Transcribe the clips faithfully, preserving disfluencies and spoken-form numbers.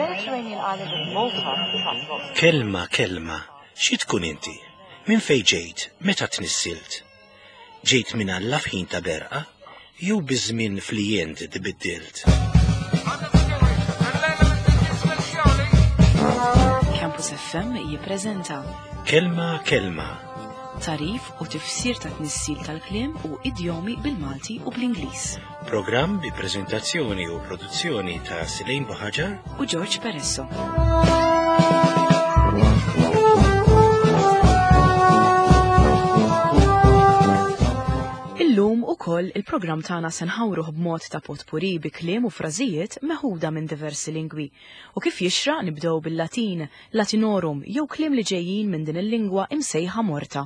Mediterranean island of Malta attracts lots of Kelma, kelma, xi tkun inti? Minn fejn ġejt? Meta tnissilt? Ġejt minn Alla f'ħin ta' berqa? Jew biż-żmien flijent tbiddilt? Campus F M jippreżenta Kelma, kelma, tagħrif u tifsir ta' tnissil tal-kliem u idjomi bil-Malti u bl-Ingliż. Programm bi preżentazzjoni u produzzjoni ta' Silejn Buħaġar u George Peresso. Illum ukoll il-programm tagħna se nħawruh b'mod ta' potpuri bi kliem u frażijiet meħuda minn diversi lingwi. U kif jixraq nibdew bil-Latin, Latinorum jew kliem li ġejjin minn din il-lingwa imsejħa morta.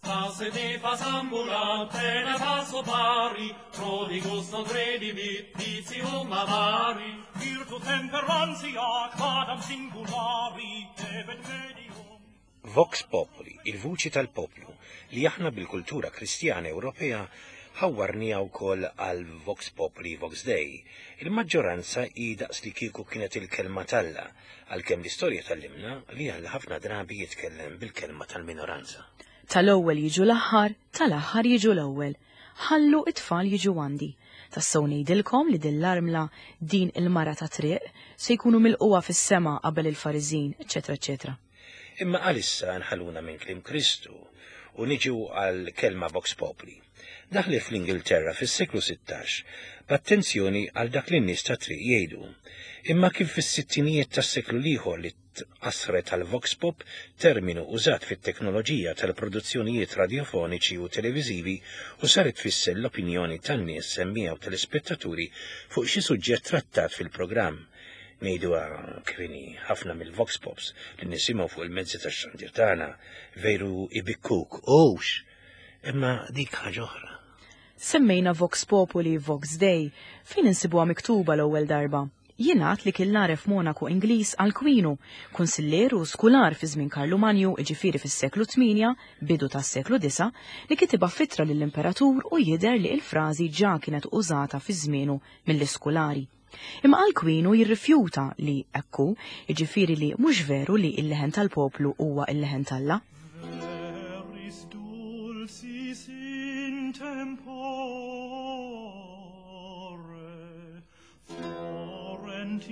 Fa se de fa sambula, pena passo pari, prodigus non credibit, vitium avari. Virtu temperantia, quadam singulari, debet medium. Vox Populi, il-vuċi tal-poplu, li aħna bil-kultura kristjana Ewropea ħawwarniha wkoll għal Vox Populi Vox Dei. Il-maġġoranza hi daqs li kieku kienet il-kelma t'Alla, għalkemm l-istorja tgħallimna li Alla ħafna drabi jitkellem bil-kelma tal-minoranza. Tal-ewwel jiġu l-aħħar, tal-aħħar jiġu l-ewwel. Ħallu it-tfal jiġu għandi. Tassew ngħidilkom li din l-armla, din il-mara ta' triq, se jkunu milquha fis-sema qabel il-Fariżin, eċetera, eċetera. Imma għalissa nħalluna minn kliem Kristu u niġu għal kelma Vox Populi. Daħli fl-Ingilterra fis-seklu sittax b'attenzjoni għal dak li n-nies ta' triq jgħidu. Imma kif fis-sittinijiet tas-seklu l-ieħor li tqassret għal Vox Pop, terminu użat fit-teknoloġija tal-produzzjonijiet radiofoniċi u televiżivi u saret tfisser l-opinjoni tan-nies semmiegħa u telespettaturi fuq xi suġġett trattat fil-programm. Ngħiduha kif inhi, ħafna mill-Vox Pops li nisimgħu fuq il-mezzi tax-xandir tagħna veru ibikkuk, hux, imma dik ħaġa oħra. Semmejna Vox Populi Vox Dei, fejn insibuha miktuba l-ewwel darba. Jingħad li kien l-għaref monaku Ingliż Alkwinu, kunsilleru u skular fi żmien Karlu Manju, jiġifieri fis-seklu tmienja, bidu tas-seklu disa, li kitibha f'ittra lill-imperatur u jidher li l-frażi ġa kienet użata fi żmienu mill-iskulari. Imma Alkwinu jirrifjuta li ekku, jiġifieri li mhux veru li l-leħen tal-poplu huwa l-leħen t'Alla. Veris dulcis in tempore, florentis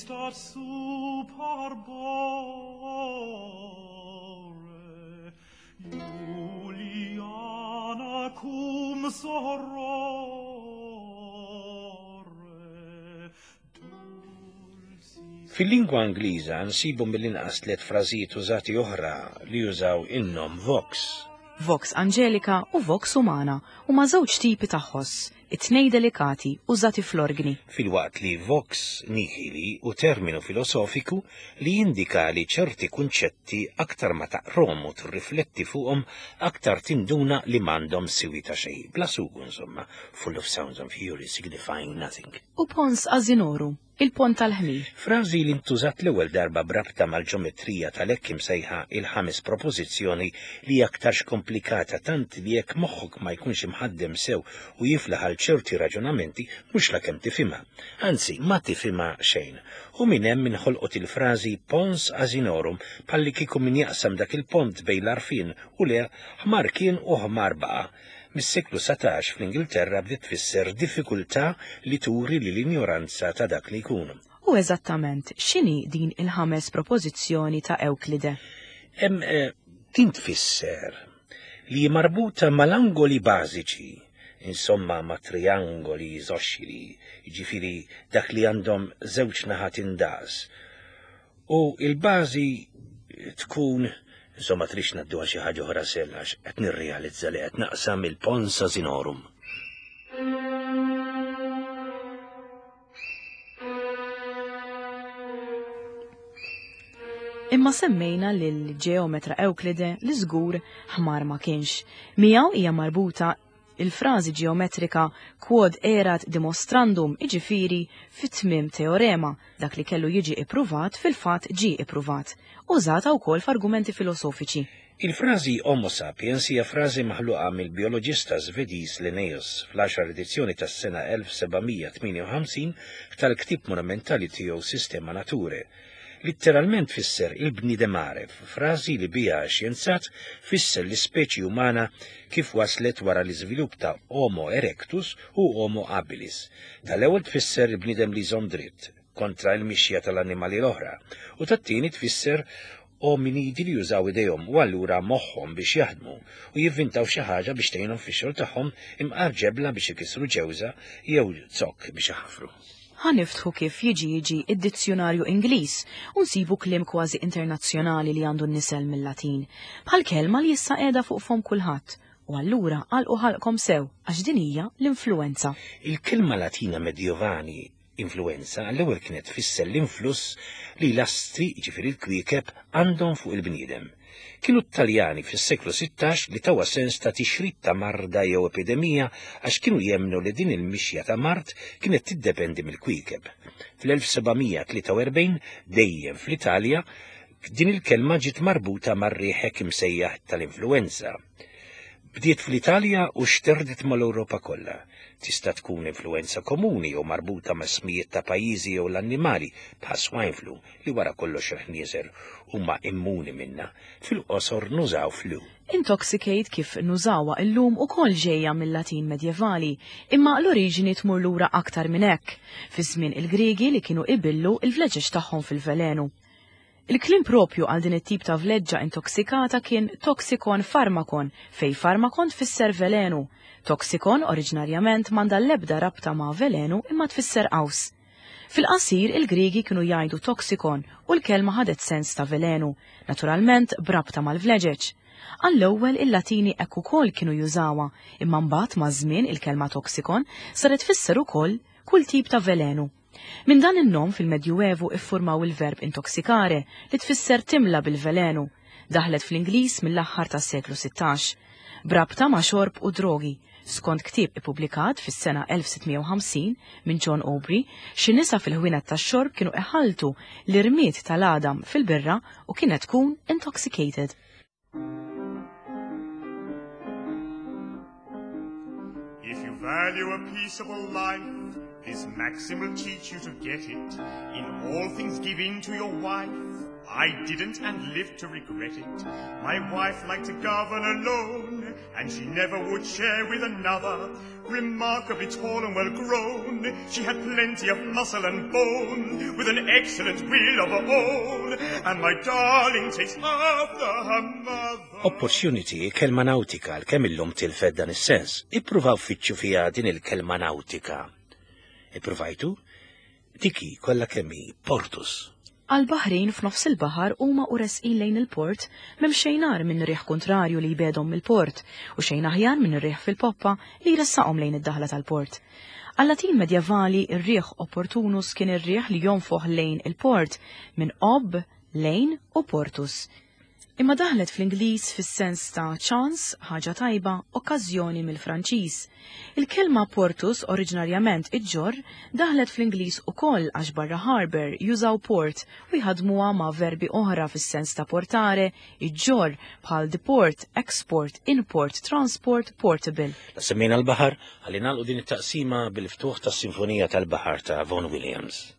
dat sub arbore, Juliana cum sorore. Fil-lingwa Ingliża nsibu mill-inqas tliet frażijiet użati oħra li jużaw in-nom Vox. Vox Angelica u Vox Humana huma żewġ tipi ta' ħoss, it-tnejn delikati użati fl-organi. Filwaqt li Vox Nihili u terminu filosofiku li jindika li ċerti kunċetti aktar ma taqrom u tirrifletti fuqhom aktar tinduna li m'għandhom siwi ta' xejn. Bla sugu insomma, full of sounds and fury signifying nothing. U Pons Asinorum, il-pont tal-ħmir. Frażi li ntużat l-ewwel darba brabta mal-ġeometrija tal-hekk imsejħa il-ħames propożizzjoni li hija aktarx komplikata tant li jekk moħħok ma jkunx imħaddem sew u jiflaħ għal ċerti raġunamenti mhux lakemm tifhimha. Anzi, ma tifhimha xejn. U minn hemm inħolqot il-frażi Pons Asinorum palli kieku min jaqsam dak il-pont bejn l-għarfien u le ħmar kien u ħmar baqa'. Mis-seklu satax fl-Ingilterra bdiet tfisser diffikultà li turi li l-injoranza ta' dak li jkun. U eżattament x'inhi din il-ħames propożizzjoni ta' Ewklide? Hemm, eh, din tfisser li marbuta mal-angoli bażiċi, insomma ma' triangoli isoxxili, jiġifieri dak li għandhom żewġ naħat indaqs. U il-bażi tkun, insomma trix naddu għal xi ħaġa oħra sell għax qed nirrealizza li qed naqsam il-Pons Asinorum. Imma semmejna lil ġeometra Ewklide li żgur ħmar ma kienx. Miegħu hija marbuta il-frażi ġeometrika quod erat demonstrandum, iġifieri fit-tmiem teorema, dak li kellu jiġi ippruvat fil-fatt ġie ippruvat. użata wkoll f'argumenti filosofiċi. Il-frażi Homo sapiens hija frażi maħluqa mill-bioloġista Svediż Linnaeus fl-għaxar edizzjoni tas-sena elf sebgħamija tmienja u ħamsin tal-ktieb monumentali tiegħu Systema Naturae. Litteralment fisser il-bniedem għaref, frażi li biha xjenzat fisser l-ispeċi umana kif waslet wara l-iżvilupp ta' Homo erectus u Homo habilis. Tal-ewwel tfisser il-bniedem li jżomm dritt kontra l-mixja tal-annimali l-oħra, u tat-tieni tfisser ominidi li jużaw idejhom u allura moħħhom biex jaħdmu u jivvintaw xi ħaġa biex tgħinhom fix-xogħol tagħhom imqar ġebla biex ikissru ġewża jew zokk biex iħafru. Ħa niftħu kif jiġi jiġi id-dizzjonarju Ingliż u nsibu kliem kważi internazzjonali li għandu n-nisel mill-Latin, bħal kelma li issa qiegħda fuq fom kulħadd. U allura għalqu ħalqkom sew għax din hija l-influenza. Il-kelma Latina medjovani influenza għall-ewwel kienet tfisser l-influss li l-astri, jiġifieri l-kwiekeb, għandhom fuq il-bniedem. Kienu t-Taljani fis-seklu sittax li tawa sens ta' tixrid ta' marda jew epidemija għax kienu jemnu li din il-mixja ta' mard kienet tiddependi mill-kwiekeb. Fl-elf sebgħamija tlieta u erbgħin dejjem fl-Italja din il-kelma ġiet marbuta mar-riħek imsejjaħ tal-influenza. Bdiet fl-Italja u xterdet mal-Ewropa kollha. Tista' tkun influenza komuni jew marbuta ma' smijiet ta' pajjiżi jew l-annimali bħal swine flu li wara kollox il-ħnieżer huma immuni minna. Fil-qosor nużaw flu. Intoxicate kif nużawha illum ukoll ġejja mill-Latin medjevali, imma l-oriġini tmur lura aktar minn hekk, fi żmien il-Griegi li kienu ibillu il-vleġeġ tagħhom fil-velenu. Il-kliem propju għal din it-tip ta' vleġġa intoksikata kien toxikon farmakon, fej farmakon tfisser velenu. Toxikon oriġinarjament m'għandha l-ebda rabta ma' velenu imma tfisser qaws. Fil-qasir il-Griegi kienu jgħidu toxikon u l-kelma ħadet sens ta' velenu, naturalment brabta mal-vleġeġ. Għall-ewwel il-Latini hekk ukoll kienu jużawha, imma mbagħad maż-żmien il-kelma toxikon saret tfisser ukoll kull tip ta' velenu. Minn dan in-nom fil-Medjuevu iffurmaw il-verb intoxicare li tfisser timla bil-velenu, daħlet fl-Ingliż mill-aħħar tas-seklu sittax, brabta ma' xorb u drogi. Skont ktieb ippubblikat fis-sena elf sittmija u ħamsin minn John Aubrey, xi nisa fil-ħwienet tax-xorb kienu iħalltu l-irmied tal-għadam fil-birra u kienet tkun intoxicated. If you value a peaceable life, this maxim will teach you to get it. In all things give in to your wife. I didn't and lived to regret it. My wife liked to govern alone, and she never would share with another. Remarkably tall and well grown, she had plenty of muscle and bone, with an excellent will of her own, and my darling takes after her mother. Opportunity, kelma nautika, l-kemm illum tilfed dan is-sens. Ippruvaw fittxu fiha din il-kelma nautika. Ippruvajtu? Diki kollha kemm hi portus. Għal-Baħrin f'nofs il-baħar huma u resqin lejn il-port m'hemm xejn agħar minn riħ kontrarju li jbedhom mill-port u xejn aħjar minn ir-riħ fil-poppa li jressaqhom lejn id-daħla tal-port. Għal-Latin medjevali ir-riħ opportunus kien ir-riħ li jonfoħ lejn il-port minn ob, lejn u portus. Imma daħlet fl-Ingliż fis-sens ta' ċans, ħaġa tajba, okkażjoni mill-Franċiż. Il-kelma portus oriġinarjament iġġorr daħlet fl-Ingliż ukoll għax barra harbour jużaw port u jħadmuha ma' verbi oħra fis-sens ta' portare, iġġorr bħal deport, export, import, transport, portable. La semmejna l-baħar, ħalli nagħlqu din it-taqsima bil-ftuħ tas-Sinfonija tal-Baħar ta' Vaughan Williams.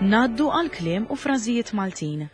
Naddu għal kliem u frażijiet Maltin.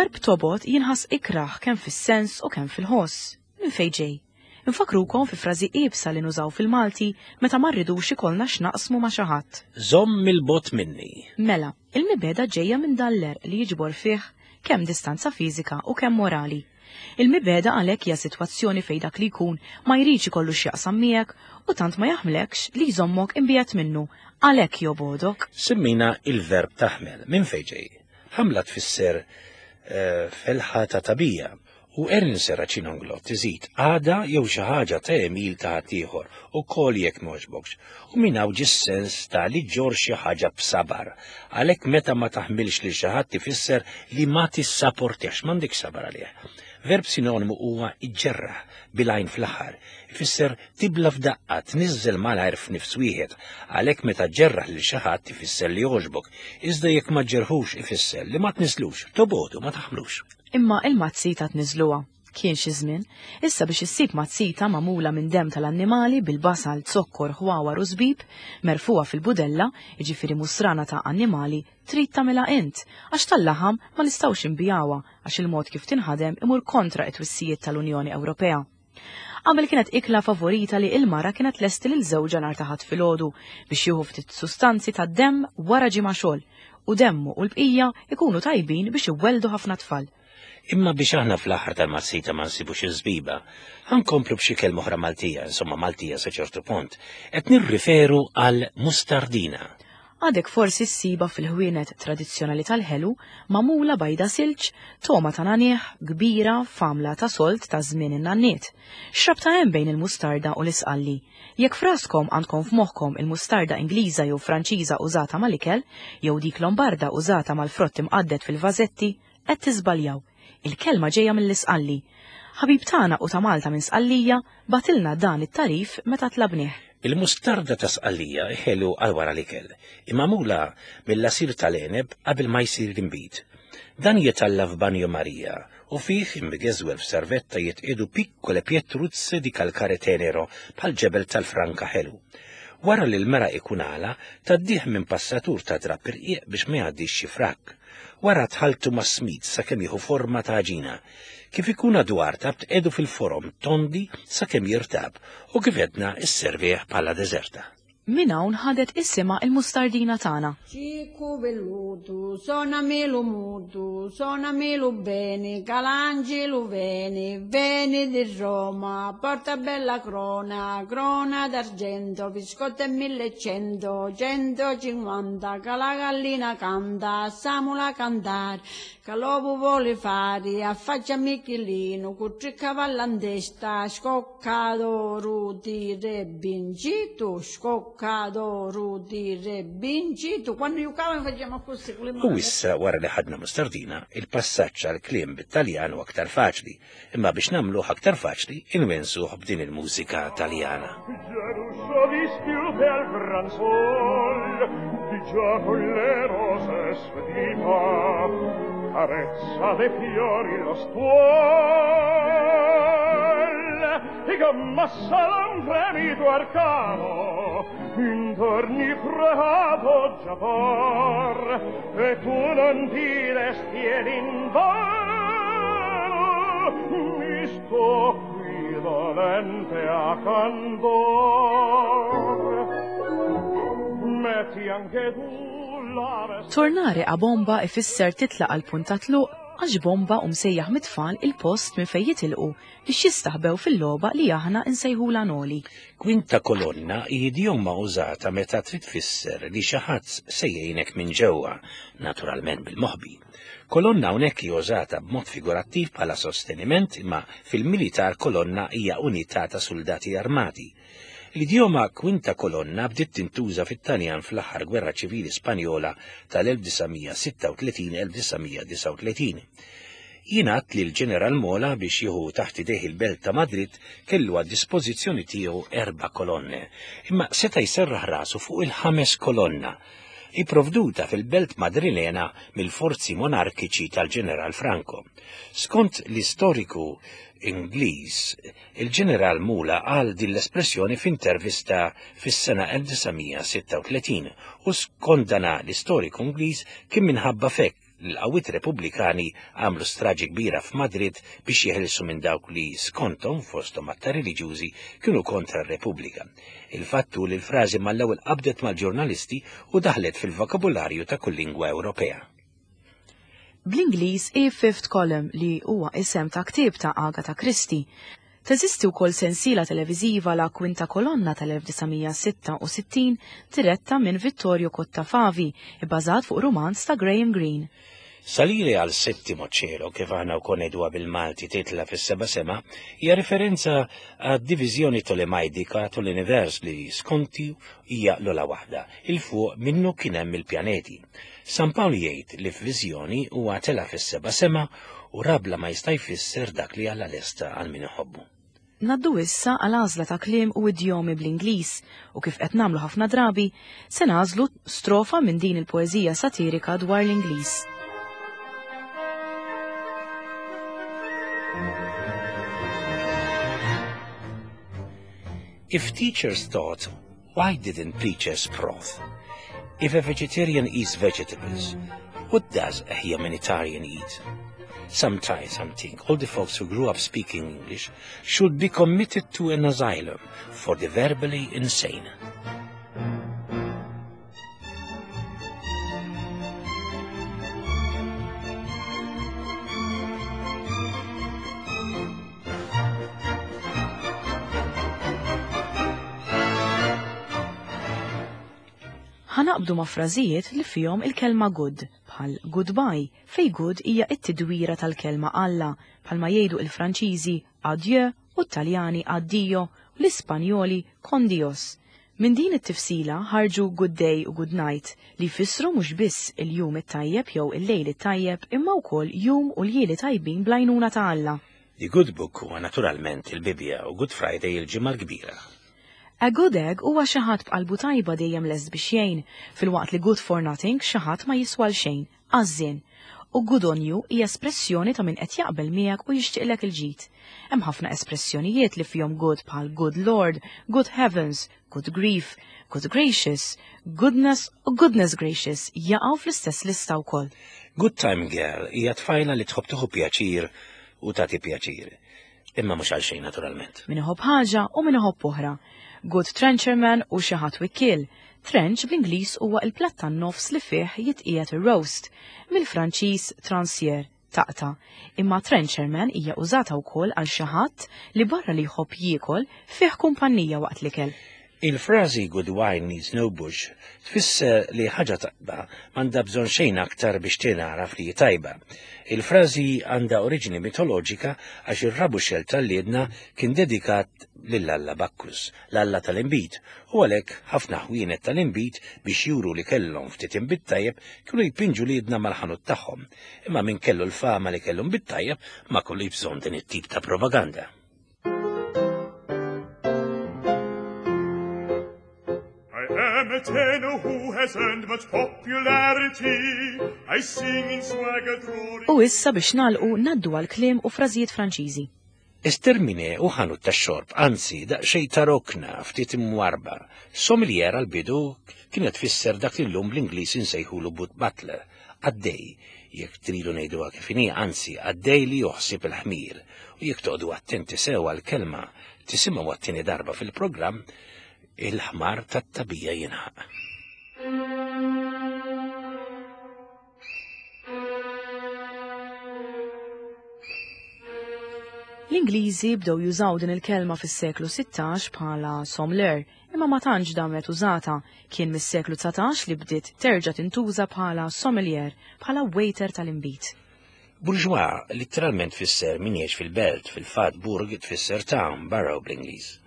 Il-verb tobgħod jinħass ikrah kemm fis-sens u kemm fil-ħoss. Minn fejn ġej? Infakrukom fi frażi iebsa li nużaw fil-Malti meta ma rridux ikollna x'naqsmu ma' xi ħadd. Żomm 'il bogħod minni. Mela, il-mibegħda ġejja minn dan l-għerq li jiġbor fih kemm distanza fiżika u kemm morali. Il-mibegħda għalhekk hija sitwazzjoni fejn dak li jkun ma jridx ikollu x'jaqsam miegħek u tant ma jaħmlekx li jżommok imbiegħed minnu, għalhekk jobgħodok. Semmejna il-verb taħmel. Minn fejn ġej? Ħamla tfisser eh, felħa ta' tagħbija u Erin Serracino Inglott iżid għada jew xi ħaġa ta' għemil ta' ħaddieħor ukoll jekk m'għoġbokx. U minn hawn ġie s-sens ta' li ġġorr xi ħaġa b'sabar. Għalhekk meta ma taħmilx lil xi ħadd ifisser li ma tissaportix, m'għandekx sabar għalih. Verb sinonimu huwa iġġerraħ bil-għajn fl-aħħar. Ifisser tibla f'daqqa, tniżżel malajr f'nifs wieħed. Għalhekk meta ġġerraħ lil xi ħadd ifisser li jogħġbok, iżda jekk ma ġġerħux ifisser li ma tniżlux, tobogħdu, ma taħmlux. Imma il-mazzita tniżluha. Kien xi żmien, issa biex issib mazzita magħmula minn demm tal-annimali bil-basal, zokkor, ħwawar u żbib, merfuha fil-budella, jiġifieri musrana ta' annimali, trid tagħmilha int, għax tal-laħam ma nistgħux inbigħuha għax il-mod kif tinħadem imur kontra it-twissijiet tal-Unjoni Ewropea. Qabel kienet ikla favorita li il-mara kienet tlesti lil żewġha nhar ta' Ħadd filgħodu biex jieħu ftit sustanzi tad-demm wara ġimgħa xogħol u demmu u l-bqija ikunu tajbin biex iwelldu ħafna tfal. Imma biex aħna fl-aħħar tal-mazzita ma nsibux iż-żbiba, ħa nkomplu b'xi kelma oħra Maltija, insomma Maltija sa ċertu punt, qed nirriferu għal mustardina. Għadek forsi ssiba fil-ħwienet tradizzjonali tal-ħelu magħmula bajda silġ, togħma ta' nagħniegħ, kbira, f'għamla ta' sold ta' żmien in-nanniet. X'rabta hemm bejn il-mustarda u l-isqalli? Jekk f'raskom għandkom f'moħħkom il-mustarda Ingliża jew Franċiża użata mal-ikel, jew dik Lombarda użata mal-frott imqadded fil-vażetti, qed tiżbaljaw. Il-kelma ġejja mill-isqalli. Ħabib tagħna u ta' Malta minn Sqallija bagħtilna dan it-tagħrif meta tlabnieh. Il-mustarda ta' Sqallija ħelu għal wara l-ikel, magħmula mill-għasir tal-għeneb qabel ma jsir l-inbid. Dan jitgħalla f'Banjo Marija u fih imgeżwer f'servetta jitqiegħdu piccole pietruzze di calcare tenero bħal ġebel tal-franka ħelu. Wara li l-meraq ikun għala, tgħaddih minn passatur ta' drapp irqiq biex ma jgħaddix xi frak. Wara tħalltu ma' smid sakemm jieħu forma ta' għaġina. Kif ikun għadu artab tqiegħdu fil-forom tondi sakemm jirtab u kif għedna isservih bħala deżerta. Minn hawn ħadet isimha il-mustardina tagħna. Ciccu vellutu, sonami lu mutu, sonami lu beni, ca l'angilu veni, veni di Roma, porta bella crona, crona d'argento, viscotta e millecento, centocinquanta, ca la gallina canta, lassamula cantare, ca l'ovu voli fari, affaccia Michelino, cu tri cavalli 'n testa, scocca d'oru di re vincitu, scocca d'oru di re vincitu. Quando giocavamo facciamo così con le U mani. issa wara li ħadna mustardina, il-passaġġ għal kliem bit-Taljan hu aktar faċli, imma biex nagħmluh aktar faċli inwensuh b'din il-mużika Taljana. Già l'uscio dischiude al gran sol, di già con le rose svedita, carezza de fiori lo stuol, e ch'ammossa d'un fremito arcano, intorni preato già por, e tu non ti desti ed invano, mi sto qui dolente a candor. Metti anche tu la veste Tornare a bomba ifisser titlaq għal punt ta' tluq għax bomba hu msejjaħ mit-tfal il-post minn fejn jitilqu biex jistaħbew fil-logħba li aħna nsejħula noli. Kwinta kolonna hi idjoma użata meta trid tfisser li xi ħadd se jgħinek minn ġewwa, naturalment bil-moħbi. Kolonna hawnhekk hi użata b'mod figurattiv bħala sosteniment, imma fil-militar kolonna hija unità ta' soldati armati. L-idjoma kwinta kolonna bdiet tintuża fit-Taljan fl-aħħar gwerra ċivili Spanjola tal-elf disa' mija sitta u tletin elf disa' mija disgħa u tletin. Jingħad li l-Ġeneral Mola biex jieħu taħt idejh il-belt ta' Madrid kellu għad dispożizzjoni tiegħu erba' kolonne, imma seta' jserraħ rasu fuq il-ħames kolonna, ipprovduta fil-belt Madrilena mill-forzi monarkiċi tal-Ġeneral Franco. Skont l-istoriku Ingliż, il-Ġeneral Mula qal din l-espressjoni f'intervista fis-sena elf disa' mija sitta u tletin u skont dan l-istoriku Ingliż kien minħabba f'hekk L-qawwiet Repubblikani għamlu straġi kbira f'Madrid biex jeħilsu minn dawk li skontom fosthom aktar reliġjużi kienu kontra r-Repubblika. Il-fatt hu li l-frażi mal-ewwel qabdet mal-ġurnalisti u daħlet fil-vokabularju ta' kull lingwa Ewropea. Bl-Ingliż hi Fifth Column li huwa isem ta' ktieb ta' Agatha Christie. Teżisti wkoll sensiela televiżiva La Quinta Colonna tal-elf disa' mija sitta u sittin diretta minn Vittorio Cottafavi, ibbażat fuq rumanz ta' Graham Greene. Salire al settimo cielo, kif aħna wkoll ngħiduha bil-Malti titla fis-seba' sema, hija referenza għad-diviżjoni Tolemajdika tal-univers li skonti hija l-ola waħda, il fuq minnu kien hemm il-pjaneti. San Pawl jgħid li f'viżjoni huwa tela fis-seba' sema u rabla ma jista' jfisser dak li Alla lesta għal min iħobbu. Naddu issa għal għażla ta' kliem u idjomi bl-Ingliż u kif qed nagħmlu ħafna drabi se nagħżlu strofa minn din il-poeżija satirika dwar l-Ingliż. If teachers taught, why didn't preachers proth? If a vegetarian eats vegetables, what does a humanitarian eat? Sometimes I think all the folks who grew up speaking English should be committed to an asylum for the verbally insane. Ħanaqbdu ma' frażijiet li fihom il-kelma good, bħal goodbye, fej good hija t-tidwira tal-kelma Alla, bħalma jgħidu il-Franċiżi adieu u t-Taljani addio u l-Ispanjoli con Dios. Minn din it-tifsila ħarġu good day u good night li jfissru mhux biss il-jum it-tajjeb jew il-lejl it-tajjeb imma wkoll jum u ljieli tajbin bl-għajnuna ta' Alla. The Good Book huwa naturalment il-Bibbja u Good Friday il-Ġimgħa l-Kbira. A good egg huwa xi ħadd b'qalbu tajba dejjem lest biex jgħin, filwaqt li good for nothing xi ħadd ma jiswal xejn, għażżien. U good on you hija espressjoni ta' min qed jaqbel miegħek u jixtieqlek il-ġid. Hemm ħafna espressjonijiet li fihom good bħal good lord, good heavens, good grief, good gracious, goodness u goodness gracious jaqgħu fl-istess lista wkoll. Good time girl hija tfajla li tħobb tieħu pjaċir u tagħti pjaċir. Imma mhux għal xejn naturalment. Min iħobb ħaġa u min iħobb oħra. Good trencherman u xi ħadd wikkiel. Trench bl-Ingliż huwa il-platt tan-nofs li fih jitqiegħed ir-roast, mill-Franċiż transier, taqta. Imma trencherman hija użata wkoll għal xi ħadd li barra li jħobb jiekol fih kumpanija waqt l-ikel. Il-frażi good wine needs no bush tfisser li ħaġa tajba m'għandha bżonn xejn aktar biex tingħaraf li hi tajba. Il-frażi għandha oriġini mitoloġika għax ir-rabuxel tal-liedna kien dedikat lil-Alla Bakkus, l-Alla tal-inbid, u għalhekk ħafna ħwienet tal-inbid biex juru li kellhom ftit inbid tajjeb kienu jpinġu liedna mal-ħanut tagħhom. Imma min kellu l-fama li kellu nbid tajjeb ma kollu bżonn din it-tip ta' propaganda. I'm a tenor who has earned much popularity. I sing in swagger glory. U issa biex nagħlqu ngħaddu għal kliem u frażijiet Franċiżi. Estermine u ħanut tax-xorb, anzi daqsxejn ta' rokna ftit imwarba. Sommelier għal-bidu kienet tfisser dak li llum bl-Ingliż insejħulu but butler, għaddej, jekk tridu ngħiduha kif inhi, anzi għaddej li joħsib il-ħmir. U jekk toqgħodu attenti sew għall-kelma tisimgħu għat-tieni darba fil-programm, il-ħmar tat-tabija jinħaq. L-Ingliżi bdew jużaw din il-kelma fis-seklu sittax bħala sommelier, imma ma tantx damet użata. Kien mis-seklu dsatax li bdiet terġa' tintuża bħala sommelier, bħala waiter tal-inbid. Bourgeois literalment tfisser min jgħix fil-belt, fil-fatt burg tfisser town, borough bl-Ingliż.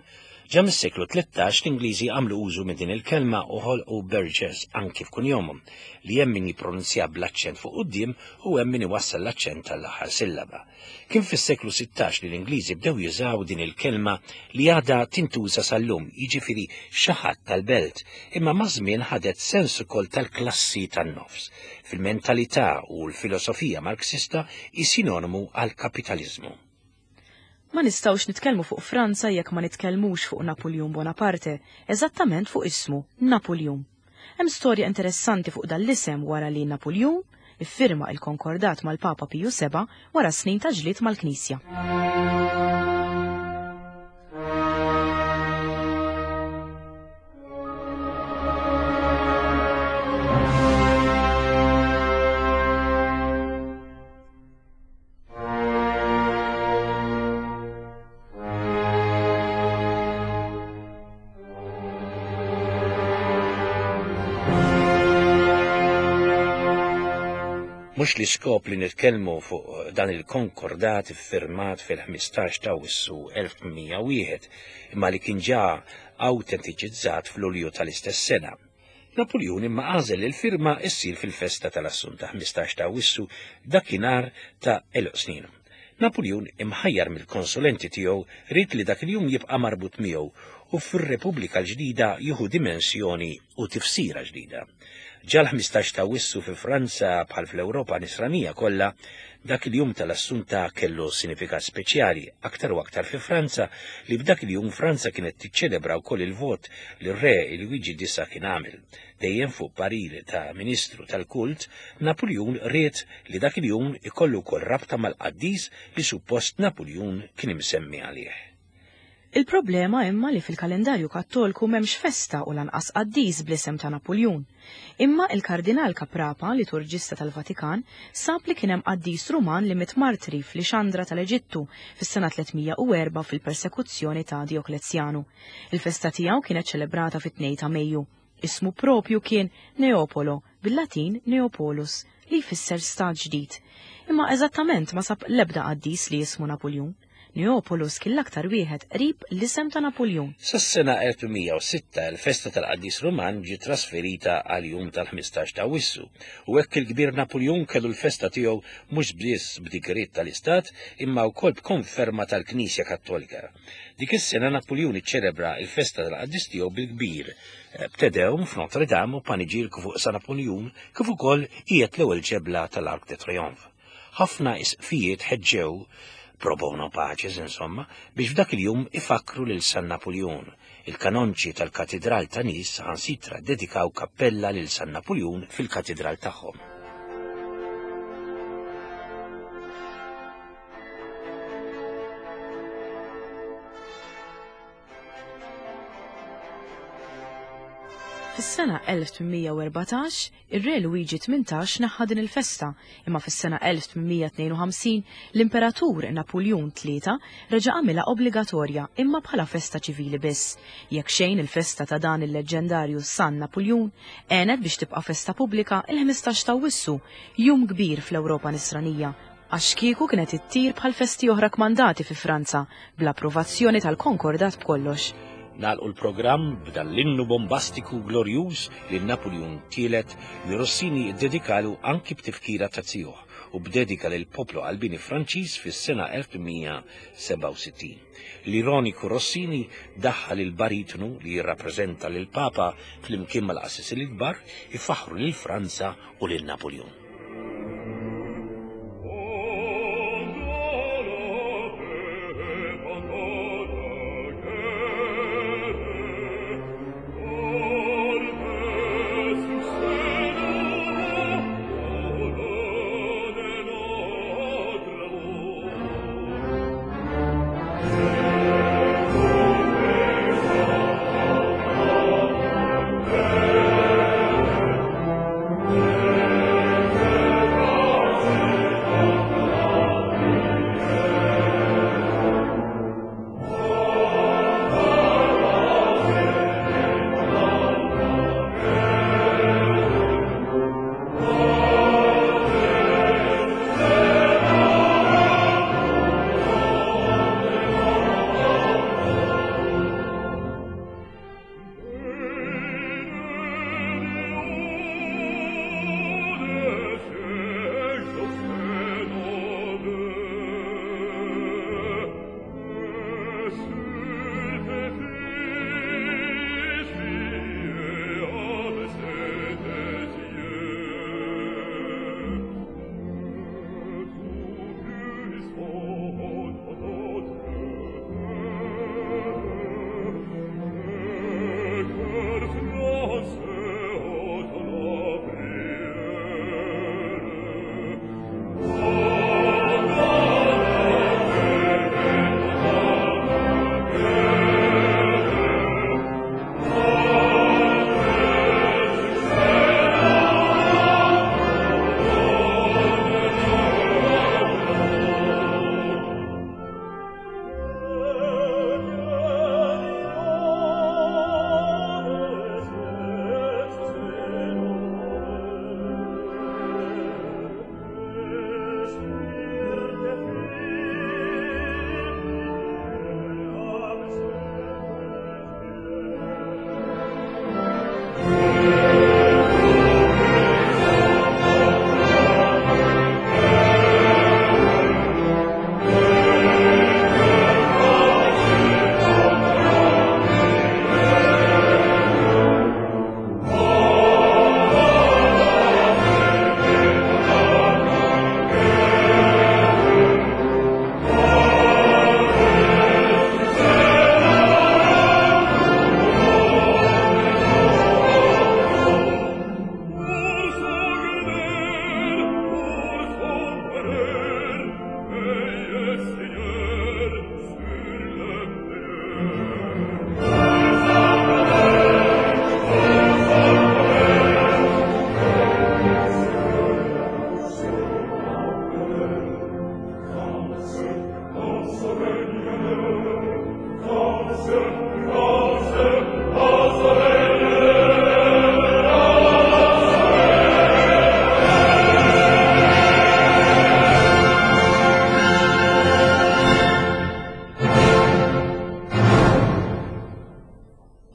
Ġa mis-seklu tlettax l-Ingliżi għamlu użu minn din il-kelma u ħolqu burgess anki f'kunjomhom, li hemm min jippronunzja bl-aċċent fuq quddiem u hemm min iwassal l-aċċent tal-aħħar sillaba. Kien fis-seklu sittax li l-Ingliżi bdew jużaw din il-kelma li għadha tintuża sal-lum, jiġifieri xi ħadd tal-belt, imma maż-żmien ħadet sens ukoll tal-klassi tan-nofs. Fil-mentalità u l-filosofija Marxista hi sinonimu għall-kapitaliżmu. Ma nistgħux nitkellmu fuq Franza jekk ma nitkellmux fuq Napoleon Bonaparte, eżattament fuq ismu, Napoleon. Hemm storja interessanti fuq dan l-isem wara li Napoleon iffirma il-konkordat mal-Papa Piju Seba' wara snin ta' ġlied mal-Knisja. Mhux l-iskop li nitkellmu fuq dan il-konkordat iffirmat fil-ħmistax ta' Awwissu elf tmien mija u wieħed, imma li kien ġa awtentiċizzat fl-Lulju tal-istess sena. Napoljun imma għażel li l-firma issir fil-festa tal-Assunta ħmistax ta' Awwissu dakinhar ta' għeluq snin. Napoljun imħajjar mill-konsulenti tiegħu ried li dak il-jum jibqa' marbut miegħu u fir-Repubblika l-ġdida jieħu dimensjoni u tifsira ġdida. Ġa l-ħmistax ta' Awwissu fi Franza bħal fl-Ewropa nisranija kollha, dak il-jum tal-Assunta kellu sinifikat speċjali, aktar u aktar fi Franza li b'dak il-jum Franza kienet tiċċelebra wkoll il-vot li r-re Luigi disa kien għamel. Dejjem fuq parir ta' ministru tal-kult, Napoljun ried li dak il-jum ikollu wkoll rabta mal-qaddis li suppost Napoljun kien imsemmi għalih. Il-problema imma li fil-kalendarju kattolku m'hemmx festa u lanqas qaddis bl-isem ta' Napoljun. Imma il-Kardinal Caprapa, liturġista tal-Vatikan, sab li kien hemm qaddis Ruman li miet martri fl-Ixandra tal-Eġittu fis-sena tliet mija u erba' fil-persekuzzjoni ta' Dioklezjanu. Il-festa tiegħu kienet ċelebrata fit-tnejn ta' Mejju. Ismu propju kien Neopolo, bil-Latin Neopolus, li jfisser stat ġdid. Imma eżattament ma sab l-ebda qaddis li jismu Napoljun. Neopolus kien l-aktar wieħed qrib l-isem ta' Napoljun. Sas-sena elf mija u sitta il-festa tal-qaddis Ruman ġiet trasferita għal jum tal-ħmistax ta' Awwissu, u hekk il-kbir Napoljun kellu l-festa tiegħu mhux biss b'digriet tal-Istat imma wkoll b'konferma tal-Knisja Kattolika. Dik is-sena Napoljun iċċelebra l-festa tal-qaddis tiegħu bil-kbir, b'Tedeum f'Notre Dame u paniġirku fuq San Napoljun kif ukoll qiegħed l-ewwel ġebla tal-Arc de Triomphe. Ħafna isqfijiet ħeġġew pro bono paces, insomma, biex f'dak il-jum ifakru lil San Napoljun. Il-kanonċi tal-Katedral ta' Nice saħansitra dedikaw kappella lil San Napoljun fil-katedral tagħhom. Fis-sena elf tmien mija u erbatax, ir-re Luigi tmintax naħħa din il-festa, imma fis-sena elf tmien mija tnejn u ħamsin l-Imperatur Napoljun tlieta reġa' għamilha obbligatorja imma bħala festa ċivili biss. Jekk xejn il-festa ta' dan il-leġendarju San Napoljun għenet biex tibqa' festa pubblika il-ħmistax ta' Awwissu, jum kbir fl-Ewropa nisranija, għax kieku kienet ittir bħal festi oħra kmandati fi Franza bl-approvazzjoni tal-Konkordat b'kollox. Nagħlqu l-programm b'dan l-innu bombastiku glorjuż li Napoljun tielet li Rossini ddedikalu anki b'tifkira ta' zijuh u b'dedika lil poplu qalbini Franċiż fis-sena elf tmien mija sebgħa u sittin. L-ironiku Rossini daħħal il-baritonu li jirrappreżenta lil Papa flimkien mal-qassisin il-kbar ifaħħru lil Franza u lil Napoljun.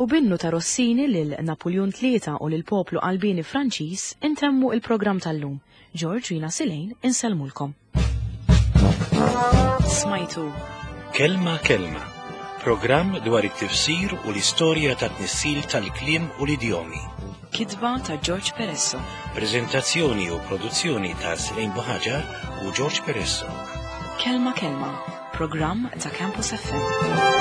U binnu ta' Rossini lil Napoleon tlieta u lil poplu qalbieni Franċiż intemmu il-programm tal-lum. George Rina Silejn insellmulkom. Smajtu Kelma Kelma, programm dwar it-tifsir u l-istorja ta' tnissil tal-kliem u l-idjomi. Kitba ta' George Peresso. Prezentazzjoni u produzzjoni ta' Silejn Buħaġar u George Peresso. Kelma Kelma, programm ta' Campus F M.